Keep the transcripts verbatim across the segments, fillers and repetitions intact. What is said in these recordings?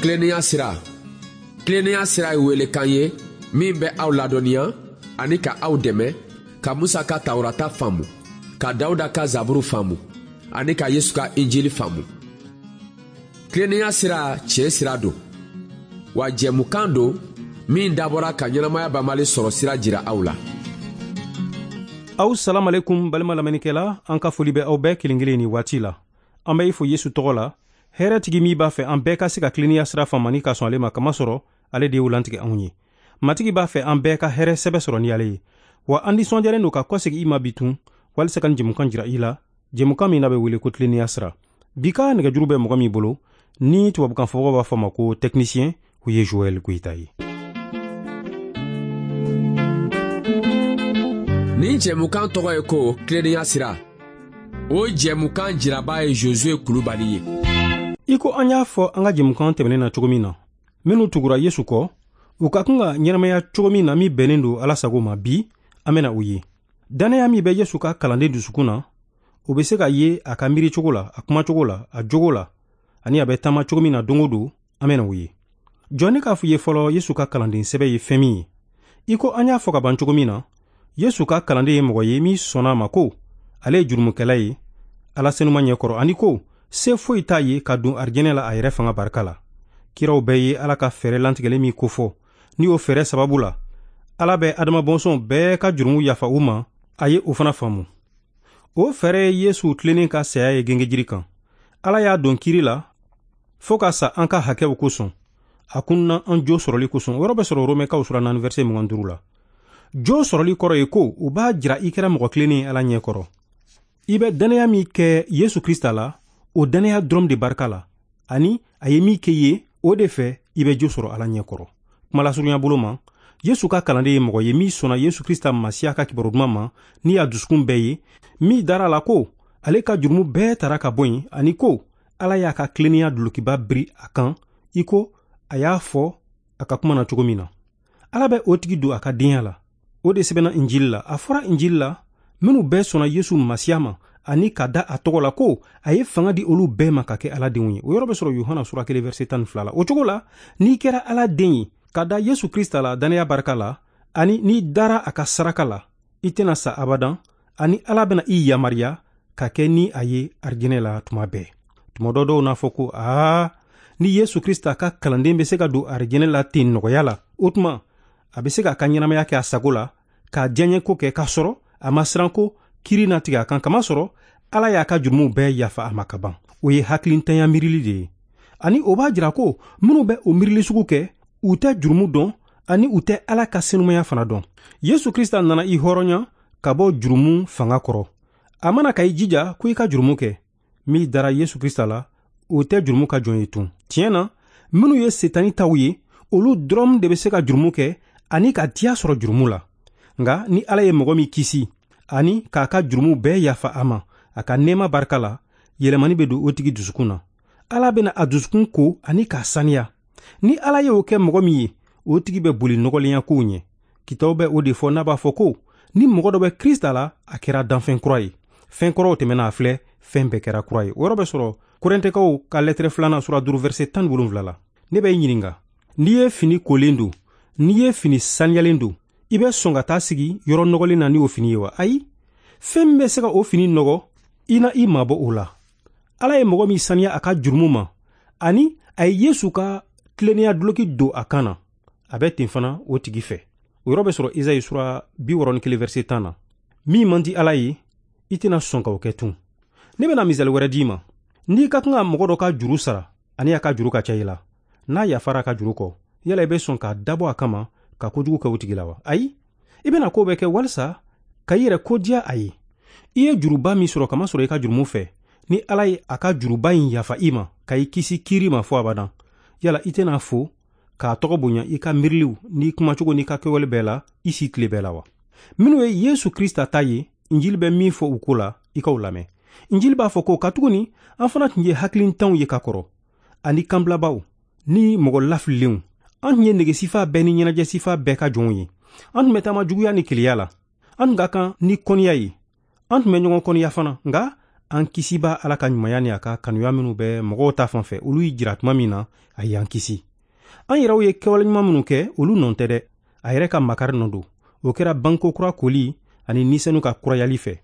Tilennenya sira. Tilennenya sira ye welekan ye min bɛ aw ladɔnniya ani ka aw dɛmɛ ka Musa ka Tawurata faamu, ka Dawuda ka Zaburu faamu ani ka Yesu ka Injili faamu. Tilennenya sira tiɲɛ sira don, wa jɛmukan don min dabɔra ka ɲɛnamaya banbali sɔrɔ sira jira aw la. Aw salam alaikum balima lamɛnnikɛla, an ka foli bɛ aw bɛɛ kelen kelen ni waati la. An bɛ i fo Yesu tɔgɔ la, hɛrɛtigi min b'a fɛ an bɛɛ ka se ka tilennenya sira faamu ani ka sɔn ale ma, kamasɔrɔ ale de y'o lantigɛ anw ye. Matigi b'a fɛ an bɛɛ ka hɛrɛ sɛbɛ sɔrɔ ni ale ye. Wa an nisɔndiyalen don ka kɔsegin i ma bi tun, walisa ka nin jɛmukan jira i la, jɛmukan min n'a bɛ wele ko tilennenya sira. Bi ka nɛgɛjuru bɛ mɔgɔ min bolo, ni tubabukan fɔbagaw b'a fɔ a ma ko technicien, o ye Joël Goïta ye. Nin jɛmukan tɔgɔ ye ko tilennenya sira. O jɛmukan jiraba ye Josué Kulubali ye. I ko an y'a fɔ an ka jɛmukan tɛmɛnen na cogo min na, minnu tugura Yesu kɔ, u ka kan ka ɲɛnamaya cogo min na min bɛnnen don Ala sago ma, bi an bɛna o ye. Dannaya min bɛ Yesu ka kalanden dusukun na, o bɛ se ka ye a ka miiri cogo la, a kuma cogo la, a jogo la, ani a bɛ taama cogo min na don o don, an bɛna o ye. Jɔn ne k'a fɔ i ye fɔlɔ Yesu ka kalanden sɛbɛ ye fɛn min ye. I ko an y'a fɔ ka ban cogo min na, Yesu ka kalanden ye mɔgɔ ye min sɔnna a ma ko ale ye jurumukɛla ye Ala senuma ɲɛkɔrɔ, ani ko se foyi t'a ye ka don arijɛnɛ la a yɛrɛ fanga barika la. Kiraw bɛɛ ye Ala ka fɛɛrɛ lantigɛlen min kofɔ, ni o fɛɛrɛ sababu la Ala bɛ Adama bɔnsɔn bɛɛ ka jurumu yafa u ma, a ye o fana faamu. O fɛɛrɛ ye Yesu tilennen ka saya ye gengejiri kan. Ala y'a don kiri la fo ka sa an ka hakɛw kosɔn, a kunna an jo sɔrɔli kosɔn. O yɔrɔ bɛ sɔrɔ Romɛkaw sura naani verset mugan duuru la. Jo sɔrɔli kɔrɔ ye ko u b'a jira i kɛra mɔgɔ tilennen ye Ala ɲɛkɔrɔ. I bɛ dannaya min kɛ Yesu Krista la, o dannaya dɔrɔn de barika la, ani a ye min kɛ ye, o de fɛ i bɛ jo sɔrɔ Ala ɲɛkɔrɔ. Kuma lasurunya bolo ma, Yesu ka kalanden ye mɔgɔ ye min sɔnna Yesu Krista Masiya ka kibaru duman ma ni a dusukun bɛɛ ye, min dara a la ko ale ka jurumu bɛɛ tara ka bɔ yen, ani ko Ala y'a ka tilennenya dulokiba biri a kan, i ko a y'a fɔ a ka kuma na cogo min na. Ala bɛ o tigi don a ka denya la. O de sɛbɛnna Injili la. A fɔra Injili la, minnu bɛɛ sɔnna Yesu Masiya ma ani ka da a tɔgɔ la ko a ye fanga di olu bɛɛ ma ka kɛ Ala denw ye. O yɔrɔ bɛ sɔrɔ Yohana sura kelen verset tan ni fila la. O cogo la, n'i kɛra Ala den ye ka da Yesu Krista la dannaya barika la, ani n'i dara a ka saraka la, i tɛna sa abadan, ani Ala bɛna i yamaruya ka kɛ ni a ye arijɛnɛ la tuma bɛɛ. Tuma dɔ dɔw n'a fɔ ko aa, ni Yesu Krista ka kalanden bɛ se ka don arijɛnɛ la ten nɔgɔya la, o tuma a bɛ se k'a ka ɲɛnamaya kɛ a sago la, k'a diyaɲɛko kɛ k'a sɔrɔ a ma siran ko kiri na tigɛ a kan, kamasɔrɔ Ala y'a ka jurumuw bɛɛ yafa a ma ka ban. O ye hakilintanya miirili de ye, ani o b'a jira ko minnu bɛ o miirili sugu kɛ, u tɛ jurumu dɔn ani u tɛ Ala ka senumaya fana dɔn. Yesu Krista nana i hɔrɔnya ka bɔ jurumu fanga kɔrɔ. A mana ka i jija ko i ka jurumu kɛ, min dara Yesu Krista la, o tɛ jurumu ka jɔn ye tun. Tiɲɛ na, minnu ye Setani taw ye, olu dɔrɔn de bɛ se ka jurumu kɛ ani ka diya sɔrɔ jurumu la. Nka ni Ala ye mɔgɔ min kisi ani k'a ka jurumu bɛɛ yafa a ma a ka nɛɛma barika la, yɛlɛmani bɛ don o tigi dusukun na. Ala bɛna a dusukun ko ani k'a saniya. Ni Ala ye o kɛ mɔgɔ min ye, o tigi bɛ boli nɔgɔlenya kow ɲɛ. Kitabu bɛ o de fɔ n'a b'a fɔ ko ni mɔgɔ dɔ bɛ Krista la, a kɛra danfɛn kura ye. Fɛn kɔrɔw tɛmɛna, a filɛ, fɛn bɛɛ kɛra kura ye. O yɔrɔ bɛ sɔrɔ Korɛntɛkaw ka lɛtɛrɛ filanan sura duuru verset tan ni wolonwula la. Ne bɛ i ɲininka, n'i ye fini kolen don, n'i ye fini saniyalen don, i bɛ sɔn ka taa sigi yɔrɔ nɔgɔlen na ni o fini ye wa? Ayi, fɛn min bɛ se ka o fini nɔgɔ, i na i mabɔ o la. Ala ye mɔgɔ min saniya a ka jurumu ma, ani a ye Yesu ka tilennenya duloki don a kan na, a bɛ ten fana o tigi fɛ. O yɔrɔ bɛ sɔrɔ Esayi sura bi wɔɔrɔ ni kelen verset tan na. Min man di Ala ye, i tɛna sɔn ka o kɛ tun. Ne bɛna misali wɛrɛ d'i ma. N'i ka kan ka mɔgɔ dɔ ka juru sara, ani a ka juru ka ca i la, n'a yafara a ka juru kɔ, yala i bɛ sɔn k'a dabɔ a kama ka kojugu kɛ o tigi la wa? Ayi, i bɛna ko bɛɛ kɛ walisa ka i yɛrɛ kodiya a ye. I ye juruba min sɔrɔ kamasɔrɔ i ka jurumu fɛ, ni Ala ye a ka juruba in yafa i ma ka i kisi kiiri ma fo abadan, yala i tɛna fo k'a tɔgɔ bonya i ka miiriliw n'i kumacogo n'i ka kɛwale bɛɛ la i si tile bɛɛ la wa? Minnu ye Yesu Krista ta ye, Injili bɛ min fɔ u ko la, i k'o lamɛn. Injili b'a fɔ ko katuguni an fana tun ye hakilintanw ye ka kɔrɔ, ani kanbilabaw ni mɔgɔ lafililenw. An tun ye negesifa bɛɛ ni ɲɛnajɛsifa bɛɛ ka jɔnw ye. An tun bɛ taama juguya ni keleya la. An tun ka kan ni kɔniya ye. An tun bɛ ɲɔgɔn kɔniya fana, nka An kisiba Ala ka ɲumanya ni a ka kanuya minnu bɛ mɔgɔw ta fan fɛ, olu y'i jira tuma min na, a y'an kisi. An yɛrɛw ye kɛwale ɲuman minnu kɛ, olu nɔ tɛ dɛ. A yɛrɛ ka makari nɔ don. O kɛra banko kura koli ani nisɛnu ka kurayali fɛ.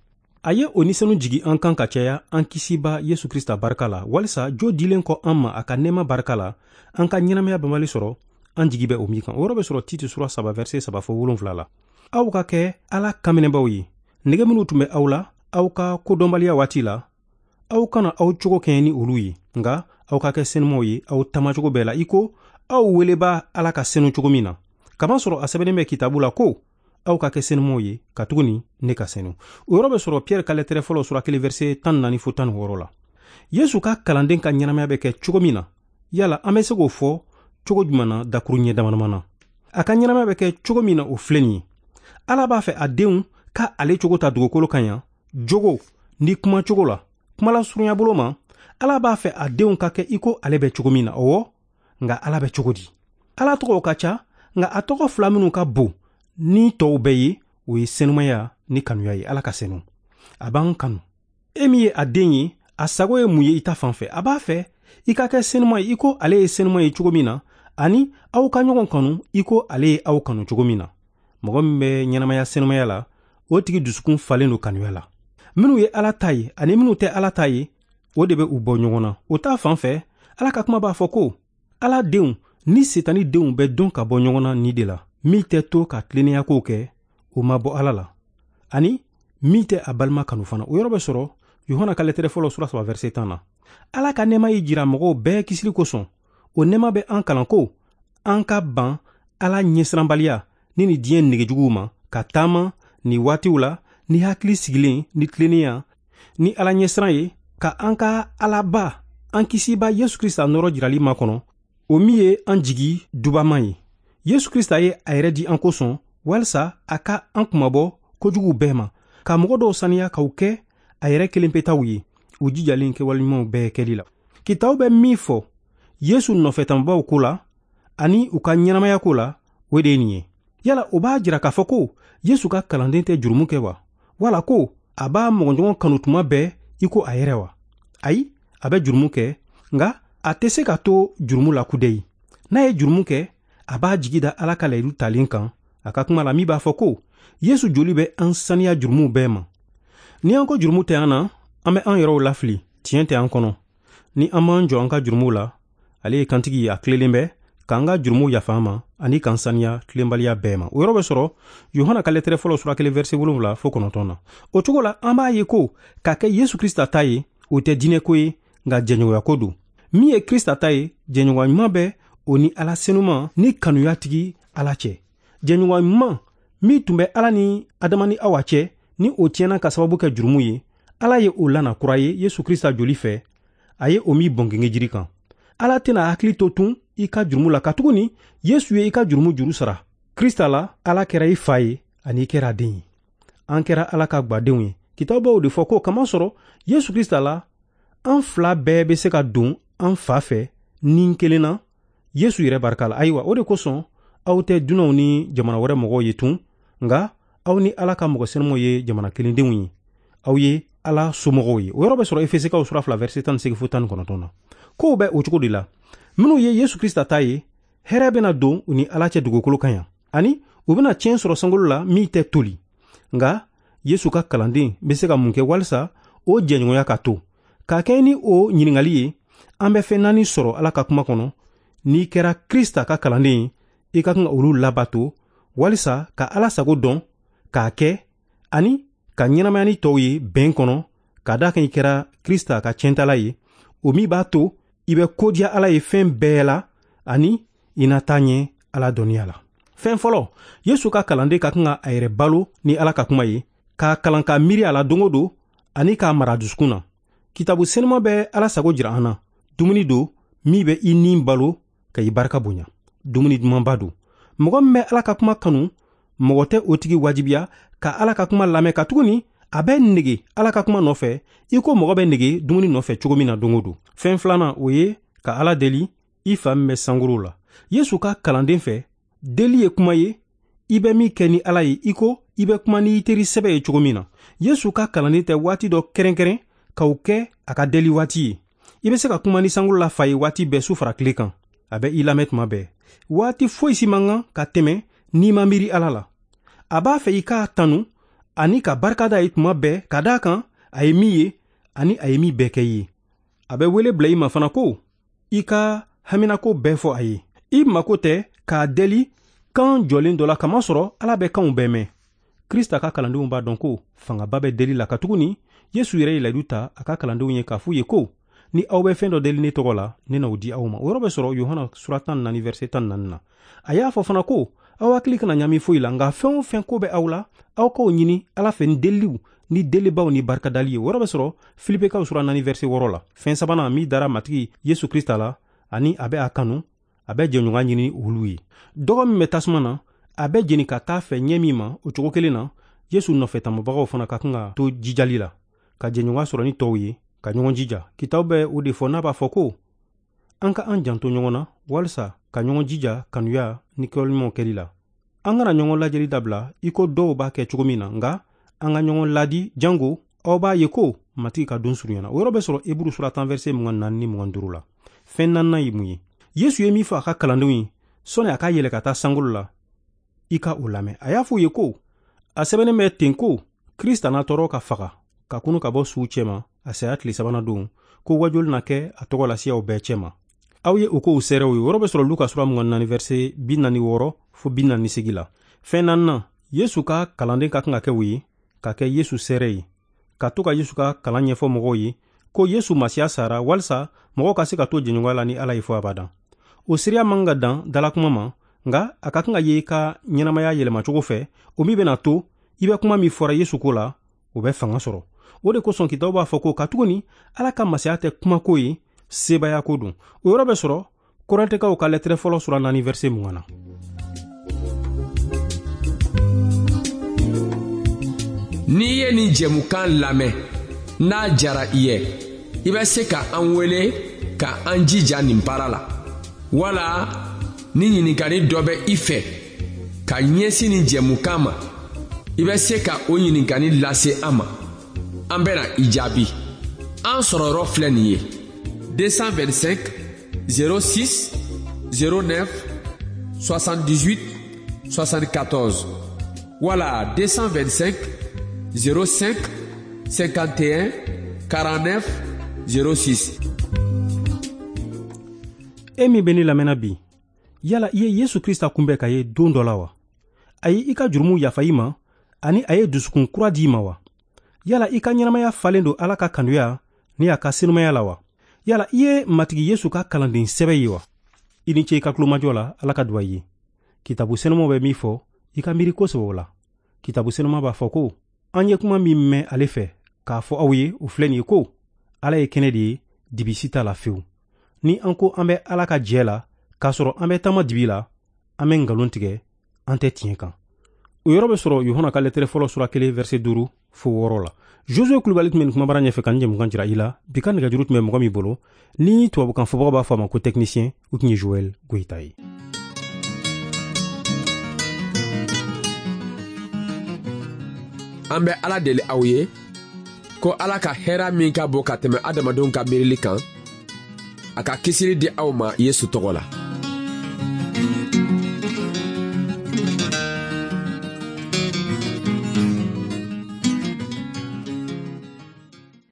A ye o nisɛnu jigi an kan ka caya an kisiba Yesu Krista barika la, walisa jo dilen kɔ an ma a ka nɛɛma barika la, an ka ɲɛnamaya banbali sɔrɔ, an jigi bɛ o min kan. O yɔrɔ bɛ sɔrɔ Tite sura saba verset saba fo wolonfila la. Aw ka kɛ Ala kanminɛbaw ye. Nege minnu tun bɛ aw la, aw ka kodɔnbaliya waati la, aw kana aw cogo kɛɲɛ ni olu ye, nka aw ka kɛ senumaw ye aw taamacogo bɛɛ la, i ko aw weleba Ala ka senu cogo min na. Kamasɔrɔ a sɛbɛnnen bɛ kitabu la ko aw ka kɛ senumaw ye, katuguni ne ka senu. O yɔrɔ bɛ sɔrɔ Pierre ka lɛtɛrɛ fɔlɔ sura kelen verset tan naani fo tan ni wɔɔrɔ la. Yesu ka kalanden ka ɲɛnamaya bɛ kɛ cogo min na, yala an bɛ se k'o fɔ cogo jumɛn na dakuru ɲɛ dama na? A ka ɲɛnamaya bɛ kɛ cogo min na, o filɛ nin ye. Ala b'a fɛ a denw ka ale cogo ta dugukolo kan yan, jogo ni kumacogo la, kumalasurunya bolo ma. Ala b'a fɛ a denw ka kɛ i ko ale bɛ cogo min na. Ɔwɔ, nka Ala bɛ cogo di? Ala tɔgɔw ka ca, nka a tɔgɔ fila minnu ka bon ni tɔw bɛɛ ye, o ye senumaya ni kanuya ye. Ala ka senu, a b'an kanu. E min ye a den ye, a sago ye mun ye i ta fan fɛ? A b'a fɛ i ka kɛ senuma ye i ko ale ye senuma ye cogo min na, ani aw ka ɲɔgɔn kanu i ko ale ye aw kanu cogo min na. Mɔgɔ min bɛ ɲɛnamaya senumaya la, o tigi dusukun falen don kanuya la. Minnu ye Ala ta ye ani minnu tɛ Ala ta ye, o de bɛ u bɔ ɲɔgɔn na. O ta fan fɛ, Ala ka kuma b'a fɔ ko Ala denw ni Setani denw bɛ dɔn ka bɔ ɲɔgɔn na ni de la. Min tɛ to ka tilennenya kow kɛ, o ma bɔ Ala la, ani min tɛ a balima kanu fana. O yɔrɔ bɛ sɔrɔ Yohana ka lɛtɛrɛ fɔlɔ sura saba verset tan na. Ala ka nɛɛma y'i jira mɔgɔw bɛɛ kisili kosɔn. O nɛɛma bɛ an kalan ko an ka ban Ala ɲɛsiranbaliya ni ni diɲɛ negejuguw ma, ka taama ni waatiw la ni hakili sigilen ni tilennenya ni Ala ɲɛsiran ye, ka an ka Alaba an kisiba Yesu Krista nɔrɔ jirali makɔnɔ, o min ye an jigi dubama ye. Yesu Krista ye a yɛrɛ di an kosɔn, walisa a ka an kunmabɔ kojuguw bɛɛ ma, ka mɔgɔ dɔw saniya k'u kɛ a yɛrɛ kelen petaw ye, u jijalen kɛwale ɲumanw bɛɛ kɛli la. Kitabu bɛ min fɔ Yesu nɔfɛtanbaw ko la ani u ka ɲɛnamaya ko la, o de ye nin ye. Yala o b'a jira k'a fɔ ko Yesu ka kalanden tɛ jurumu kɛ wa? Wala ko a b'a mɔgɔɲɔgɔn kanu tuma bɛɛ i ko a yɛrɛ wa? Ayi, a bɛ jurumu kɛ, nka a tɛ se ka to jurumu la kudayi. N'a ye jurumu kɛ, a b'a jigi da Ala ka layidu talen kan a ka kuma la, min b'a fɔ ko Yesu joli bɛ an saniya jurumuw bɛɛ ma. Ni an ko jurumu tɛ an na, an bɛ an yɛrɛw lafili, tiɲɛ tɛ an kɔnɔ. Ni an m'an jɔ an ka jurumuw la, ale ye kantigi ye, a tilelen bɛ k'an ka jurumuw yafa an ma ani k'an saniya tilenbaliya bɛɛ ma. O yɔrɔ bɛ sɔrɔ Yohana ka lɛtɛrɛ fɔlɔ sura kelen verset wolonwula fo kɔnɔntɔn na. O cogo la, an b'a ye ko ka kɛ Yesu Krista ta ye, o tɛ diinɛko ye, nka jɛɲɔgɔnyako don. Min ye Krista ta ye, jɛɲɔgɔnya ɲuman bɛ o ni Ala senuma ni kanuya tigi Ala cɛ. Jɛɲɔgɔnya ɲuman min tun bɛ Ala ni Adama ni Awa cɛ, ni o tiɲɛna ka sababu kɛ jurumu ye, Ala ye o lana kura ye Yesu Krista joli fɛ, a ye o min bɔn gengejiri kan. Ala tɛna hakili to tun i ka jurumu la, katuguni Yesu ye i ka jurumu juru sara. Krista la, Ala kɛra i fa ye ani i kɛra a den ye. An kɛra Ala ka gwadenw ye. Kitabu de fɔ ko kamasɔrɔ Yesu Krista la, an fila bɛɛ bɛ se ka don an fa fɛ ni kelen na, Yesu yɛrɛ barika la. Ayiwa, o de kosɔn aw tɛ dunanw ni jamana wɛrɛ mɔgɔw ye tun, nka aw ni Ala ka mɔgɔ senumaw ye jamana kelendenw ye. Aw ye Ala somɔgɔw ye. O yɔrɔ bɛ sɔrɔ Efesikaw sura fila verset tan ni seegin fo tan ni kɔnɔntɔn na. Kow bɛ o cogo de la. Minnu ye Yesu Krista ta ye, hɛrɛ bɛna don u ni Ala cɛ dugukolo kan yan, ani u bɛna tiɲɛ sɔrɔ sankolo la min tɛ toli. Nka Yesu ka kalanden bɛ se ka mun kɛ walisa o jɛɲɔgɔnya ka to? K'a kɛ ni o ɲininkali ye, an bɛ fɛn naani sɔrɔ Ala ka kuma kɔnɔ. N'i kɛra Krista ka kalanden ye, i ka kan ka olu labato walisa ka Ala sago dɔn, k'a kɛ, ani ka ɲɛnamaya ni tɔw ye bɛn kɔnɔ, ka d'a kan i kɛra Krista ka tiɲɛtala ye, o min b'a to i bɛ kodiya Ala ye fɛn bɛɛ la, ani i na taa ɲɛ Ala dɔnniya la. Fɛn fɔlɔ, Yesu ka kalanden ka kan ka a yɛrɛ balo ni Ala ka kuma ye, k'a kalan k'a miiri a la don o don, ani k'a mara dusukun na. Kitabu senuma bɛ Ala sago jira an na. Dumuni don min bɛ i ni balo ka i barika bonya. Dumuni dumanba don. Mɔgɔ min bɛ Ala ka kuma kanu, mɔgɔ tɛ o tigi wajibiya ka Ala ka kuma lamɛn, katuguni a bɛ nege Ala ka kuma nɔfɛ i ko mɔgɔ bɛ nege dumuni nɔfɛ cogo min na don o don. Fɛn filanan, o ye ka Ala deli i fa min bɛ sankolo la. Yesu ka kalanden fɛ, deli ye kuma ye i bɛ min kɛ ni Ala ye i ko i bɛ kuma ni i teri sɛbɛ ye cogo min na. Yesu ka kalanden tɛ waati dɔ kɛrɛnkɛrɛn ka o kɛ a ka deli waati ye. I bɛ se ka kuma ni sankolo la fa ye waati bɛɛ su fara tile kan. A bɛ i lamɛn tuma bɛɛ. Waati foyi si man kan ka tɛmɛ n'i ma miiri Ala la. A b'a fɛ i k'a tanu ani ka barika da ye tuma bɛɛ ka d'a kan a ye min ye ani a ye min bɛɛ kɛ i ye. A bɛ wele bila i ma fana ko i ka haminako bɛɛ fɔ a ye. I mako tɛ k'a deli kan jɔlen dɔ la kamasɔrɔ Ala bɛ kanw bɛɛ mɛn. Krista ka kalandenw b'a dɔn ko fangaba bɛ deli la katuguni Yesu yɛrɛ ye layidu ta a ka kalandenw ye k'a f'u ye ko ni aw bɛ fɛn dɔ deli ne tɔgɔ la, ne n'o di aw ma. O yɔrɔ bɛ sɔrɔ Yohana sura tan naani verset tan naani na. A y'a fɔ fana ko aw hakili kana ɲami foyi la, nka fɛn o fɛn ko bɛ aw la, aw k'o ɲini Ala fɛ ni deliliw ni delibaw ni barikadali ye. O yɔrɔ bɛ sɔrɔ Filipekaw sura naani verset wɔɔrɔ la. Fɛn sabanan min dara Matigi Yesu Krista la ani a bɛ a kanu, a bɛ jɛɲɔgɔnya ɲini olu ye. Dɔgɔ min bɛ tasuma na, a bɛ jeni ka taa fɛ ɲɛ min ma, o cogo kelen na Yesu nɔfɛ tamabagaw fana ka kan ka to jijali la, ka jɛɲɔgɔnya sɔrɔ ni tɔw ye, ka ɲɔgɔn jija. Kitabu bɛ o de fɔ n'a b'a fɔ ko an ka an janto ɲɔgɔn na walisa ka ɲɔgɔn jija kanuya ni kɛwaleɲumanw kɛli la. An kana ɲɔgɔn lajɛli dabila i ko dɔw b'a kɛ cogo min na, nka an ka ɲɔgɔn ladi jango aw b'a ye ko Matigi ka don surunyana. O yɔrɔ bɛ sɔrɔ Eburu sura tan verset mugan naani ni mugan duuru la. Fɛn naaninan ye mun ye? Yesu ye min fɔ a ka kalandenw ye sɔnni a ka yɛlɛ ka taa sankolo la, i ka o lamɛn. A y'a fɔ u ye ko a sɛbɛnnen bɛ ten ko Krista n'a tɔɔrɔ ka faga ka kunu ka bɔ suw cɛma a saya tile sabanan don, ko wajuli na kɛ a tɔgɔ la siyaw bɛɛ cɛma. Aw ye o kow seerew ye. O yɔrɔ bɛ sɔrɔ Luka sura mugan naani verset bi naani wɔɔrɔ fo bi naani seegin la. Fɛn naaninan, Yesu ka kalanden ka kan ka kɛ o ye, ka kɛ Yesu seere ye, ka to ka Yesu ka kalan ɲɛfɔ mɔgɔw ye ko Yesu Masiya sara walisa mɔgɔw ka se ka to jɛɲɔgɔnya la ni Ala ye fo abadan. O seereya man ka dan dalakuma ma, nka a ka kan ka ye i ka ɲɛnamaya yɛlɛmacogo fɛ, o min bɛna to i bɛ kuma min fɔra Yesu ko la, o bɛ fanga sɔrɔ. O de kosɔn kitabu b'a fɔ ko katuguni Ala ka masaya tɛ kumako ye, sebaaya ko don. O yɔrɔ bɛ sɔrɔ Kɔrɛntɛkaw ka lɛtɛrɛ fɔlɔ sura naani verset mugan na. N'i ye nin jɛmukan lamɛn n'a jara i ye, i bɛ se ka an wele ka an jija nin baara la, wala ni ɲininkali dɔ bɛ i fɛ ka ɲɛsin nin jɛmukan ma, i bɛ se ka o ɲininkali lase an ma. An bɛna i jaabi. An sɔrɔyɔrɔ filɛ nin ye: deux cent vingt-cinq zéro six zéro neuf soixante-dix-huit soixante-quatorze wala deux cent vingt-cinq zéro cinq cinquante et un quarante-neuf zéro six. E min bɛ ne lamɛnna bi, yala i ye Yesu Krista kunbɛn ka ye don dɔ la wa? A ye i ka jurumu yafa i ma ani a ye dusukun kura di i ma wa? Yala i ka ɲɛnamaya falen don Ala ka kanuya ni a ka senumaya la wa? Yala i ye Matigi Yesu ka kalanden sɛbɛ ye wa? I ni ce i ka tulomajɔ la. Ala ka duwa i ye. Kitabu senuman bɛ min fɔ, i ka miiri kosɛbɛ o la. Kitabu senuman b'a fɔ ko an ye kuma min mɛn ale fɛ k'a fɔ aw ye, o filɛ nin ye ko Ala ye kɛnɛ de ye, dibi si t'a la fewu. Ni an ko an bɛ Ala ka jɛ la k'a sɔrɔ an bɛ taama dibi la, an bɛ nkalon tigɛ, an tɛ tiɲɛ kan. O yɔrɔ bɛ sɔrɔ Yohana ka lɛtɛrɛ fɔlɔ sura kelen verset duuru fo wɔɔrɔ la. Josue Kulubali tun bɛ nin kumabara ɲɛfɛ ka nin jɛmukan jira i la. Bi ka nɛgɛjuru tun bɛ mɔgɔ min bolo, ni tubabukan fɔbagaw b'a fɔ a ma ko technicien, o tun ye Joël Goyita ye. An bɛ Ala deli aw ye ko Ala ka hɛrɛ min ka bon ka tɛmɛ adamadenw ka miirili kan, a ka kisili di aw ma Yesu tɔgɔ la.